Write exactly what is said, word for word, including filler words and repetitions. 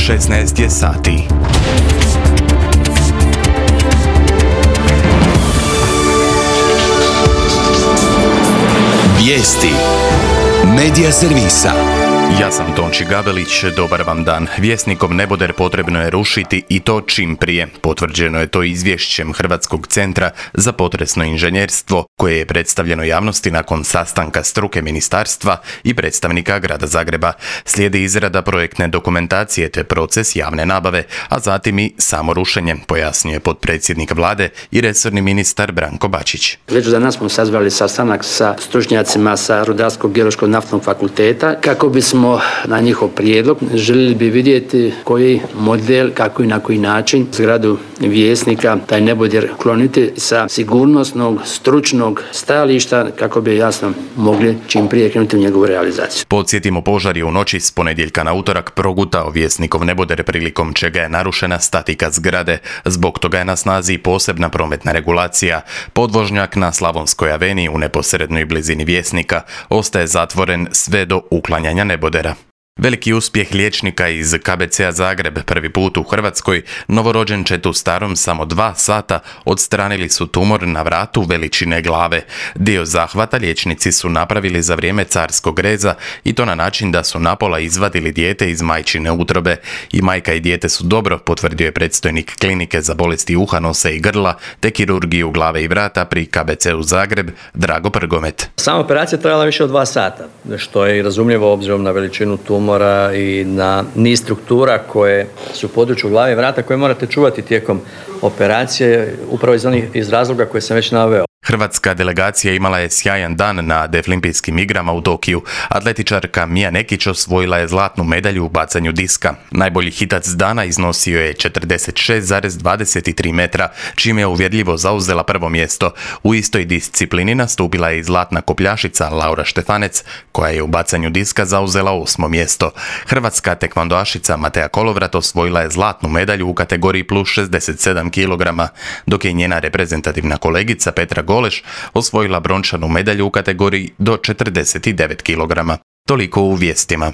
šesnaest je sati. Vijesti Medija servisa. Ja sam Tonči Gabelić, dobar vam dan. Vjesnikov neboder potrebno je rušiti i to čim prije. Potvrđeno je to izvješćem Hrvatskog centra za potresno inženjerstvo, koje je predstavljeno javnosti nakon sastanka struke ministarstva i predstavnika grada Zagreba. Slijedi izrada projektne dokumentacije te proces javne nabave, a zatim i samo rušenje, pojasnio je potpredsjednik vlade i resorni ministar Branko Bačić. Već danas smo sazvali sastanak sa stručnjacima sa Rudarsko-geološkog naftnog fakulteta kako bismo na njihov prijedlog željeli bi vidjeti koji model, kako i na koji način zgradu Vjesnika, taj neboder, kloniti sa sigurnosnog, stručnog stajališta kako bi jasno mogli čim prije krenuti u njegovu realizaciju. Podsjetimo, požar je u noći s ponedjeljka na utorak progutao Vjesnikov neboder, prilikom čega je narušena statika zgrade. Zbog toga je na snazi posebna prometna regulacija. Podvožnjak na Slavonskoj aveniji u neposrednoj blizini Vjesnika ostaje zatvoren sve do uklanjanja nebodera. Veliki uspjeh liječnika iz K B C-a Zagreb, prvi put u Hrvatskoj, novorođenčetu starom samo dva sata odstranili su tumor na vratu veličine glave. Dio zahvata liječnici su napravili za vrijeme carskog reza i to na način da su napola izvadili dijete iz majčine utrobe. I majka i dijete su dobro, potvrdio je predstojnik klinike za bolesti uha, nosa i grla te kirurgiju glave i vrata pri K B C-u Zagreb, Drago Prgomet. Sama operacija trajala više od dva sata, što je i razumljivo obzirom na veličinu tumora i na niz struktura koje su u području glave i vrata koje morate čuvati tijekom operacije, upravo iz onih iz razloga koje sam već naveo. Hrvatska delegacija imala je sjajan dan na Deaflimpijskim igrama u Tokiju. Atletičarka Mija Nekić osvojila je zlatnu medalju u bacanju diska. Najbolji hitac dana iznosio je četrdeset šest zarez dvadeset tri metra, čime je uvjerljivo zauzela prvo mjesto. U istoj disciplini nastupila je i zlatna kopljašica Laura Štefanec, koja je u bacanju diska zauzela osmo mjesto. Hrvatska tekvandoašica Matea Kolovrat osvojila je zlatnu medalju u kategoriji plus šezdeset sedam kilograma, dok je njena reprezentativna kolegica Petra Goleš osvojila brončanu medalju u kategoriji do četrdeset devet kilograma. Toliko u vijestima.